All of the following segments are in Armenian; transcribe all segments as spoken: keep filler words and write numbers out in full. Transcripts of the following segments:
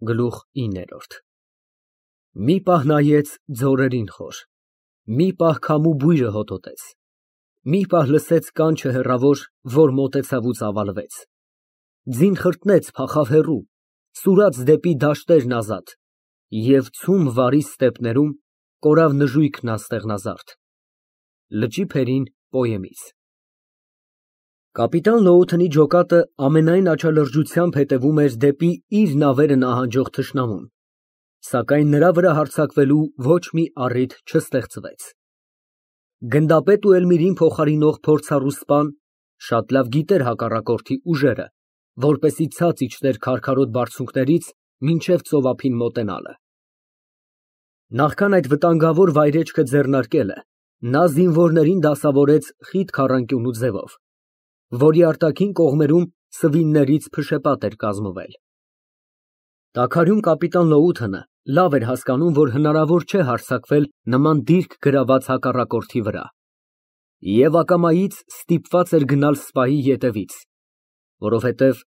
Գլուխ ինը Մի պահ նայեց ձորերին խոր, մի պահ քամու բույրը հոտոտեց, մի պահ լսեց կանչը հեռավոր, որ մոտեցավ ու ծավալվեց, ձին խրտնեց, փախավ հեռու, սուրաց դեպի դաշտերն ազատ և ցում վարի ստեպներում կորավ նժույգն աստեղնազարդ։ Լճի փերին պոեմից Կապիտան Լոութընի ջոկատը ամենայն աչալրջությամբ հետևում էր դեպի իր նավերը նահանջող թշնամուն, սակայն նրա վրա հարձակվելու ոչ մի առիթ չստեղծվեց։ Գնդապետ ու Էլմիրին փոխարինող փորձառու սպան շատ լավ գիտեր հակառակորդի ուժերը, որպեսզի ցած իջներ քարքարոտ բարձունքներից մինչև ծովափին մոտենալը։ Նախքան այդ վտանգավոր վայրեջքը ձեռնարկելը, նա զինվորներին դասավորեց խիտ քառանկյունու ձևով, որի արտաքին կողմերում սվիններից փշեպատ էր կազմվել։ Տաքարյուն կապիտան Լոութընը լավ էր հասկանում, որ հնարավոր չէ հարձակվել նման դիրք գրաված հակառակորդի վրա, և ակամայից ստիպված էր գնալ սպայի ետևից, որովհետև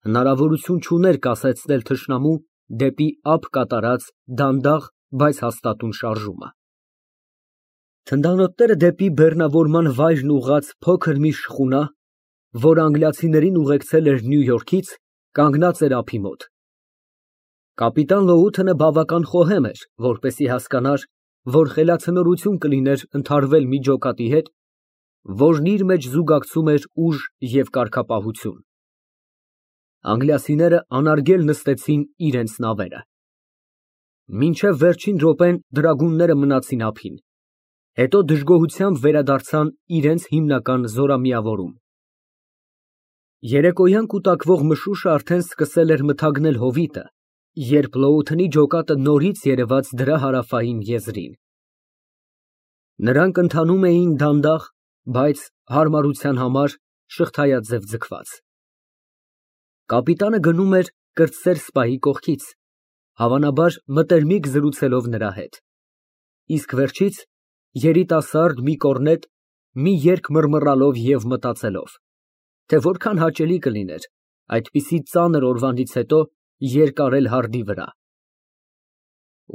հնարավորություն չուներ կասեցնել թշնամու դեպի ափ կատարած դանդաղ, բայց հաստատուն շարժումը։ Թնդանոթները դեպի բեռնավորման վայրն ուղղած փոքր մի շխունա, որ անգլիացիներին ուղեկցել էր Նյու Յորքից, կանգնած էր ափի մոտ։ Կապիտան Լոութընը բավական խոհեմ էր, որպեսզի հասկանար, որ խելացնորություն կլիներ ընդհարվել մի ջոկատի հետ, որն իր մեջ զուգակցում էր ուժ և կարգապահություն։ Անգլիացիները անարգել նստեցին իրենց նավերը։ Մինչև վերջին րոպեն դրագունները մնացին ափին, հետո դժգոհությամբ վերադարձան իրենց հիմնական զորամիավորում։ Երեկոյան կուտակվող մշուշը արդեն սկսել էր մթագնել հովիտը, երբ Լոութընի ջոկատը նորից երևաց դրա հարավային եզրին։ Նրանք ընթանում էին դանդաղ, բայց հարմարության համար շղթայաձև ձգված։ Կապիտանը գնում էր կրտսեր սպայի կողքից, հավանաբար մտերմիկ զրուցելով նրա հետ, իսկ վերջից երիտասարդ մի կորնետ մի երգ մռմռալով և մտածելով, թե որքան հաճելի կլիներ այդպիսի ծանր օրվանից հետո երկարել հարդի վրա։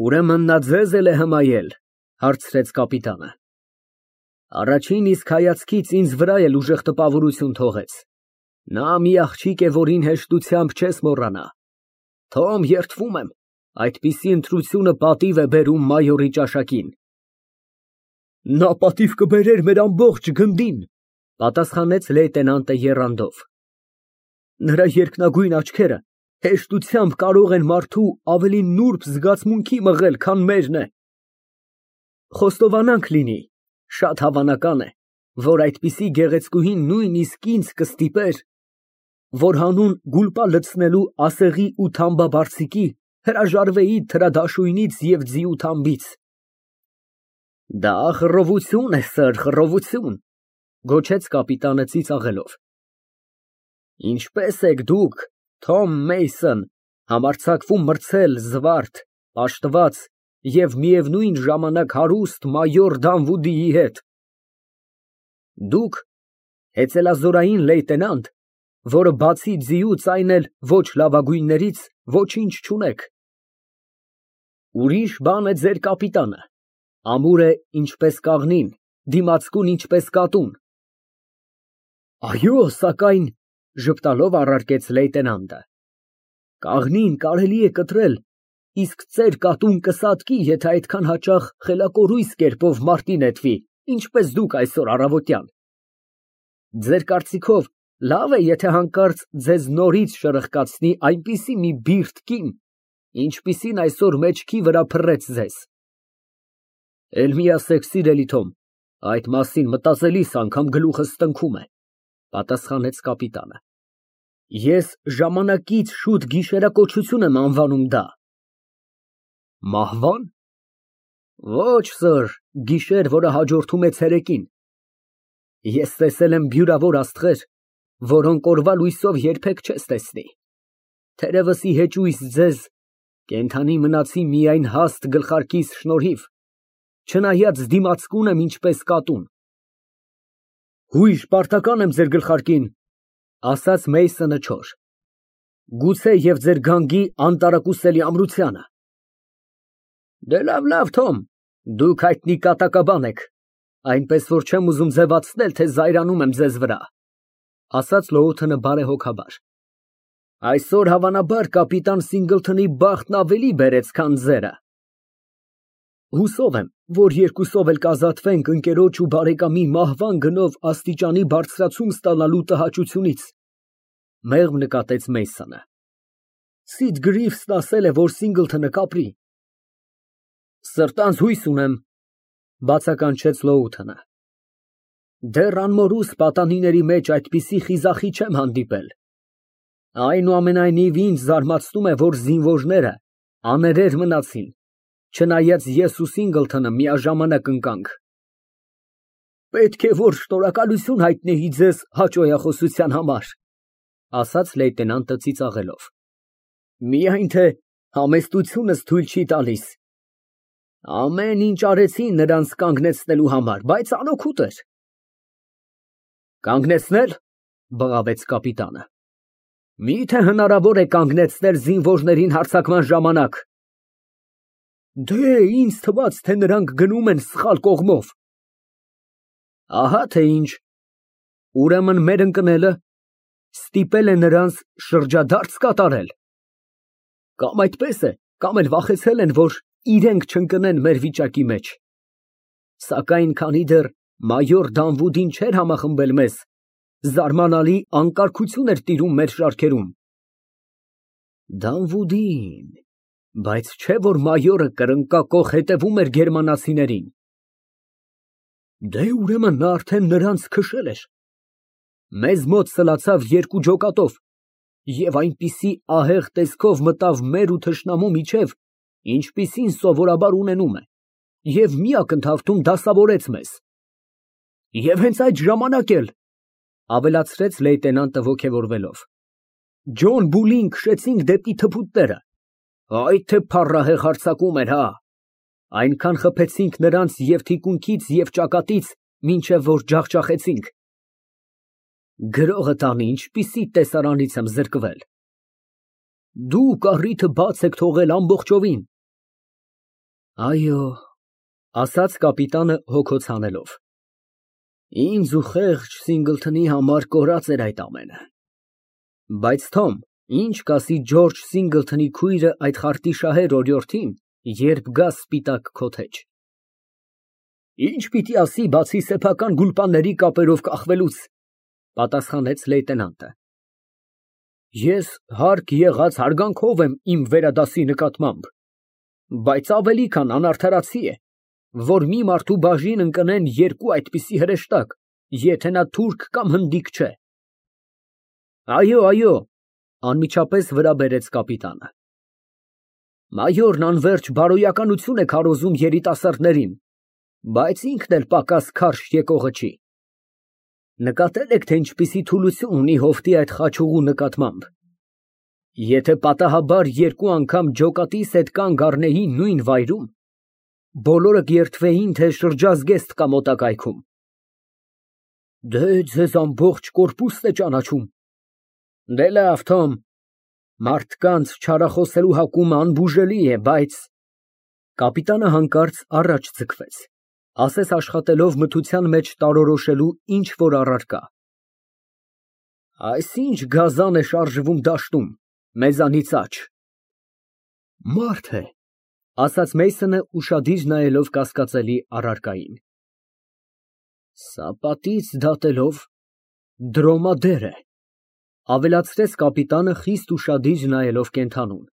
Ուրեմն նա ձեզ էլ է հմայել, հարցրեց կապիտանը։ Առաջին իսկ հայացքից ինձ վրա էլ ուժեղ տպավորություն թողեց։ Նա մի աղջիկ է, որին հեշտությամբ չես մոռանա։ Թոմ, երդվում եմ, այդպիսի ընտրությունը պատիվ է բերում մայորի ճաշակին։ Նա պատիվ կբերեր մեր ամբողջ գնդին, պատասխանեց լեյտենանտը եռանդով։ Նրա երկնագույն աչքերը հեշտությամբ կարող են մարդու ավելի նուրբ զգացմունքի մղել, քան մերն է։ Խոստովանանք լինի, շատ հավանական է, որ այդպիսի գեղեցկուհին նույնիսկ ինձ կստիպեր, որ հանուն գուլպա լցնելու ասեղի ու թամբաբարձիկի հրաժարվեի թրադաշույնից և ձիու թամբից։ Դա խռովություն է, սըր, խռովություն, գոչեց կապիտանը ծիծաղելով։ Ինչպե՞ս եք դուք, Թոմ Մեյսոն, համարձակվում մրցել զվարթ, պաշտված և միևնույն ժամանակ հարուստ մայոր Դանվուդիի հետ։ Դուք հեծելազորային լեյտենանտ, որը բացի ձիուց այն էլ ոչ լավագույններից ոչինչ չունեք։ Ուրիշ բան է ձեր կապիտանը, ամուր է ինչպես կաղնին, դիմացկուն ինչպես կատուն։ Այո, սակայն, ժպտալով առարկեց լեյտենանտը, կաղնին կարելի է կտրել, իսկ ծեր կատուն կսատկի, եթե այդքան հաճախ խելակորույս կերպով մարտի նետվի, ինչպես դուք այսօր առավոտյան։ Ձեր կարծիքով լավ է, եթե հանկարծ ձեզ նորից շրխկացնի այնպիսի մի բիրտ կին, ինչպիսին այսօր մեջքի վրա փռեց ձեզ։ Էլ մի ասեք, սիրելի Թոմ, այդ մասին մտածելիս անգամ գլուխս տնքում է, պատասխանեց կապիտանը։ Ես ժամանակից շուտ գիշերակոչություն եմ անվանում դա։ Մահվա՞ն։ Ոչ, սըր, գիշեր, որը հաջորդում է ցերեկին։ Ես տեսել եմ բյուրավոր աստղեր, որոնք օրվա լույսով երբեք չես տեսնի։ Թերևս ի հեճույս ձեզ կենդանի մնացի միայն հաստ գլխարկիս շնորհիվ, չնայած դիմացկուն եմ ինչպես կատուն։ Հույժ պարտական եմ ձեր գլխարկին, ասաց Մեյսոնը չոր։ Գուցե և ձեր գանգի անտարակուսելի ամրությանը։ Դե լավ, լավ, Թոմ, դուք հայտնի կատակաբան եք, այնպես որ չեմ ուզում ձևացնել, թե զայրանում եմ ձեզ վրա, ասաց Լոութոնը բարեհոգաբար։ Այսօր, հավանաբար, կապիտան Սինգլթոնի բախտն ավելի բերեց, քան ձերը։ Հուսով եմ, որ երկուսով էլ կազատվենք ընկերոջ ու բարեկամի մահվան գնով աստիճանի բարձրացում ստանալու տհաճությունից, մեղմ նկատեց Մեյսոնը։ Սիդ Գրիվսն ասել է, որ Սինգլթոնը կապրի։ Սրտանց հույս ունեմ, բացականչեց Լոութոնը։ Դեռ անմորուս պատանիների մեջ այդպիսի խիզախի չեմ հանդիպել։ Այնուամենայնիվ ինձ զարմացնում է, որ զինվորները աներեր մնացին, չնայած ես ու Սինգլթոնը միաժամանակ ընկանք։ Պետք է որ շնորհակալություն հայտնեի ձեզ հաճոյախոսության համար, ասաց լեյտենանտը ծիծաղելով։ Միայն թե համեստությունս թույլ չի տալիս։ Ամեն ինչ արեցի նրանց կանգնեցնելու համար, բայց անօգուտ էր։ Կանգնեցնել, բղավեց կապիտանը։ Մի՞թե հնարավոր է կանգնեցնել զինվորներին հարձակման ժամանակ։ Դե, ինձ թվաց, թե նրանք գնում են սխալ կողմով։ Ահա թե ինչ։ Ուրեմն մեր ընկնելը ստիպել է նրանց շրջադարձ կատարել։ Կամ այդպես է, կամ էլ վախեցել են, որ իրենք չընկնեն մեր վիճակի մեջ։ Սակայն քանի դեռ մայոր Դանվուդին չէր համախմբել մեզ, զարմանալի անկարգություն էր տիրում մեր շարքերում։ Դանվուդին, բայց չէ որ մայորը կրնկակոխ հետևում էր գերմանացիներին։ Դե ուրեմն նա արդեն նրանց քշել էր։ Մեզ մոտ սլացավ երկու ջոկատով և այնպիսի ահեղ տեսքով մտավ մեր ու թշնամու միջև, ինչպիսին սովորաբար ունենում է, և մի ակնթարթում դասավորեց մեզ։ Եվ հենց այդ ժամանակ էլ, ավելացրեց լեյտենանտը ոգևորվելով, Ջոն Բուլին քշեցինք դեպի թփուտները։ Այ թե փառահեղ հարձակում էր, հա։ Այնքան խփեցինք նրանց և թիկունքից, և ճակատից, մինչև որ ջախջախեցինք։ Գրողը տանի, ինչպիսի տեսարանից եմ զրկվել։ Դուք առիթը բաց եք թողել ամբողջովին։ Այո, ասաց կապիտանը հոգոց հանելով։ Ինձ ու խեղճ Սինգլթոնի համար կորած էր այդ ամենը։ Բայց Թոմ, ինչ կասի Ջորջ Սինգլթոնի քույրը այդ խարտիշահեր օրիորդին, երբ գա սպիտակ քոթեջ։ Ինչ պիտի ասի, բացի սեփական գուլպանների կապերով կախվելուց, պատասխանեց լեյտենանտը։ Ես հարկ եղած հարգանքով եմ իմ վերադասի նկատմամբ, բայց ավելի քան անարդարացի է, որ մի մարդու բաժին ընկնեն երկու այդպիսի հրեշտակ, եթե նա թուրք կամ հնդիկ չէ։ Այո, այո, անմիջապես վրա բերեց կապիտանը։ Մայորն անվերջ բարոյականություն է քարոզում երիտասարդներին, բայց ինքն էլ պակաս քարշ եկողը չի։ Նկատել եք, թե ինչպիսի թուլություն ունի հովտի այդ խաչուղու նկատմամբ։ Եթե պատահաբար երկու անգամ ջոկատիս հետ կանգ առնեի նույն վայրում, բոլորը կերթվեին, թե շրջազգեստ կա մոտակայքում։ Դե ձեզ ամբողջ կորպուսն է ճանաչում։ Դե լավ, Թոմ, մարդկանց չարախոսելու հակումը անբուժելի է, բայց… Կապիտանը հանկարծ առաջ ձգվեց, ասես աշխատելով մթության մեջ տարորոշելու ինչ֊որ առարկա։ Այսինչ գազան է շարժվում դաշտում, մեզանից աջ։ Մարդ է, ասաց Մեյսոնը ուշադիր նայելով կասկածելի առարկային։ Սապատից դատելով դրոմադեր է, ավելացրեց կապիտանը խիստ ուշադիր նայելով կենդանուն,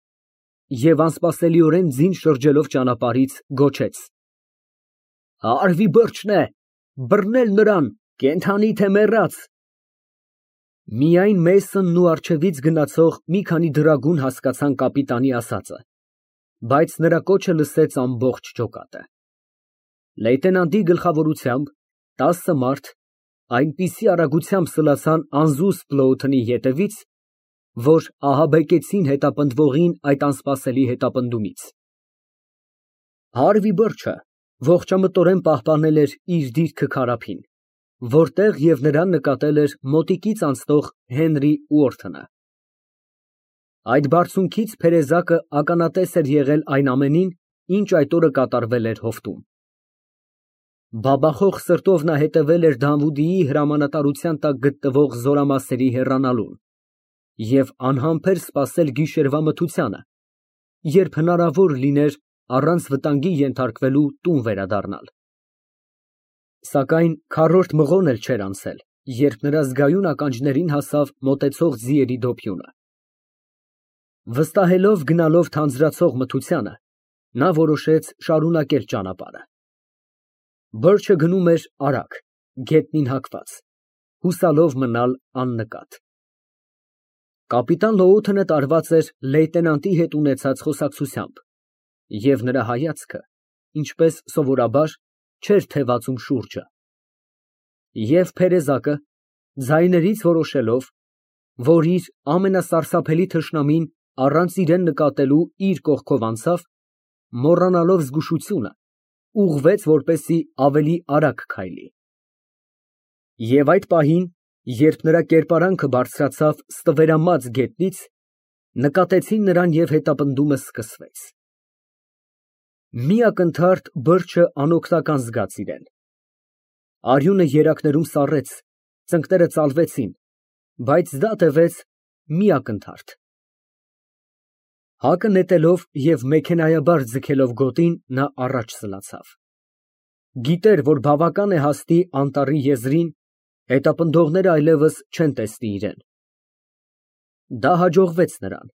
և անսպասելիորեն ձին շրջելով ճանապարհից գոչեց. Արվի բրջն է, բռնել նրան, կենդանի թե մեռած։ Միայն Մեյսոնն ու առջևից գնացող մի քանի դրագուն հասկացան կապիտանի ասածը, բայց նրա կոչը լսեց ամբողջ ջոկատը։ Լեյտենանտի գլխավորությամբ տասը մարդ այնպիսի արագությամբ սլացան անզուսպ Լոութոնի ետևից, որ ահաբեկեցին հետապնդվողին այդ անսպասելի հետապնդումից։ Հարվի բրջը ողջամտորեն պահպանել էր իր դիրքը քարափին, որտեղ և նրան նկատել էր մոտիկից անցնող Հենրի Ուորթոնը։ Այդ բարձունքից Փերեզակը ականատես էր եղել այն ամենին, ինչ այդ օրը կատարվել էր հովտում։ Բաբախող սրտով նա հետևել էր Դավուդիի հրամանատարության տակ գտնվող զորամասերի հեռանալուն և անհամբեր սպասել գիշերվա մթությանը, երբ հնարավոր լիներ առանց վտանգի ենթարկվելու տուն վերադառնալ։ Սակայն քառորդ մղոն էլ չէր անցել, երբ նրա զգայուն ականջներին հասավ մոտեցող ձիերի դոփյունը։ Վստահելով գնալով թանձրացող մթությանը, նա որոշեց շարունակել ճանապարհը։ Բըրչը գնում էր արագ, գետնին հակված, հուսալով մնալ աննկատ։ Կապիտան Լոութենը տարված էր լեյտենանտի հետ ունեցած խոսակցությամբ, և նրա հայացքը, ինչպես սովորաբար, չէր թևածում շուրջը։ Եվ Փերեզակը, ձայներից որոշելով, որ իր ամենասարսափելի թշնամին առանց իրան նկատելու իր կողքով անցավ, մոռանալով զգուշությունը, ուղղվեց, որպեսզի ավելի արագ քայլի։ Եվ այդ պահին, երբ նրա կերպարանքը բարձրացավ ստվերամած գետնից, նկատեցին նրան և հետապնդումը սկսվեց։ Մի ակնթարթ բըրչը անօգնական զգաց իրեն։ Արյունը երակներում սառեց, ծնկները ծալվեցին, բայց դա տևեց մի ակնթարթ։ Հակը նետելով և մեքենայաբար ձգելով գոտին, նա առաջ սլացավ։ Գիտեր, որ բավական է հասնի անտառի եզրին, հետապնդողները այլևս չեն տեսնի իրան։ Դա հաջողվեց նրան,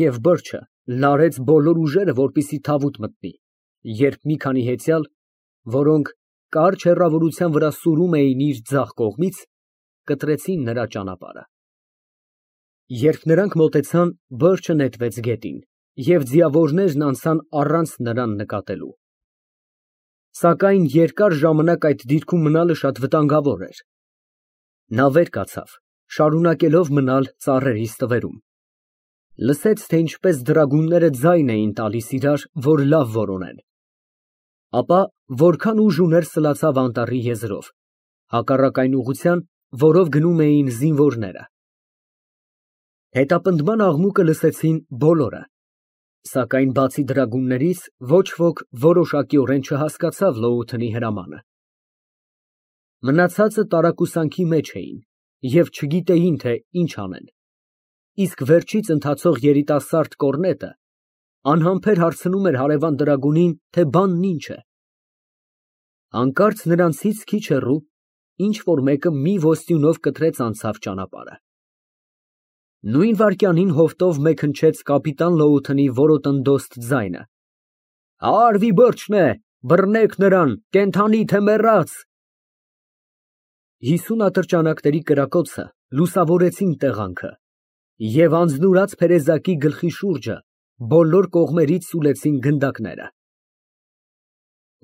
և բըրչը լարեց բոլոր ուժերը, որպեսզի թավուտ մտնի, երբ մի քանի հեծյալ, որոնք կարճ հեռավորության վրա սուրում էին իր ձախ կողմից, կտրեցին նրա ճանապարհը։ Երբ նրանք մոտեցան, բըրչը նետվեց գետին, և ձիավորներն անցան առանց նրան նկատելու։ Սակայն երկար ժամանակ այդ դիրքում մնալը շատ վտանգավոր էր։ Նա վեր կացավ, շարունակելով մնալ ծառերի ստվերում։ Լսեց, թե ինչպես դրագունները ձայն էին տալիս իրար, որ լավ որոնեն։ Ապա որքան ուժ ուներ, սլացավ անտառի եզրով, հակառակ այն ուղղության, որով գնում էին զինվորները։ Հետապնդման աղմուկը լսեցին բոլորը, սակայն բացի դրագուններից ոչ ոք որոշակիորեն չհասկացավ Լոութենի հրամանը։ Մնացածը տարակուսանքի մեջ էին և չգիտեին, թե ինչ անեն, իսկ վերջից ընթացող երիտասարդ կորնետը անհամբեր հարցնում էր հարևան դրագունին, թե բանն ինչ է։ Հանկարծ նրանցից քիչ հեռու ինչ֊որ մեկը մի ոստյունով կտրեց անցավ ճանապարհը։ Նույն վայրկյանին հովտով մեկ հնչեց կապիտան Լոութենի որոտնդոստ ձայնը. «Արվի բըրճն է, բռնեք նրան, կենդանի թե մեռած»։ Հիսուն ատրճանակների կրակոցը լուսավորեցին տեղանքը, և անձնուրաց Փերեզակի գլխի շուրջը բոլոր կողմերից սուլեցին գնդակները։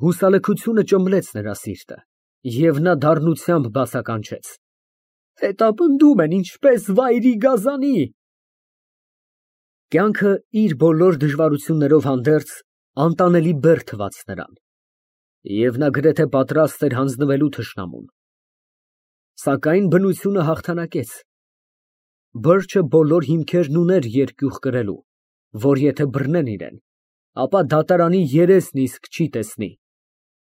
Հուսալքությունը ճմլեց նրա սիրտը, և նա դառնությամբ բացականչեց. «Հետապնդում են, ինչպես վայրի գազանի»։ Կյանքը իր բոլոր դժվարություններով հանդերձ անտանելի բեռ թվաց նրան, և նա գրեթե պատրաստ էր հանձնվելու թշնամուն։ Սակայն բնությունը հաղթանակեց։ Բըրչը բոլոր հիմքերն ուներ երկյուղ կրելու, որ եթե բռնեն իրան, ապա դատարանի երեսն իսկ չի տեսնի,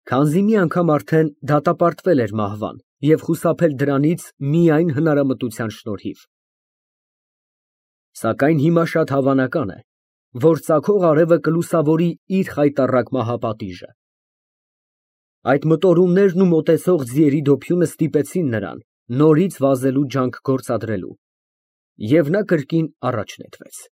քանզի մի անգամ արդեն դատապարտվել էր մահվան և խուսափել դրանից միայն հնարամտության շնորհիվ։ Սակայն հիմա շատ հավանական է, որ ծագող արևը կլուսավորի իր խայտառակ մահապատիժը։ Այդ մտորումներն ու մոտեցող ձիերի դոփյունը ստիպեցին նրան նորից վազելու ջանք գործադրելու, և նա կրկին առաջ նետվեց։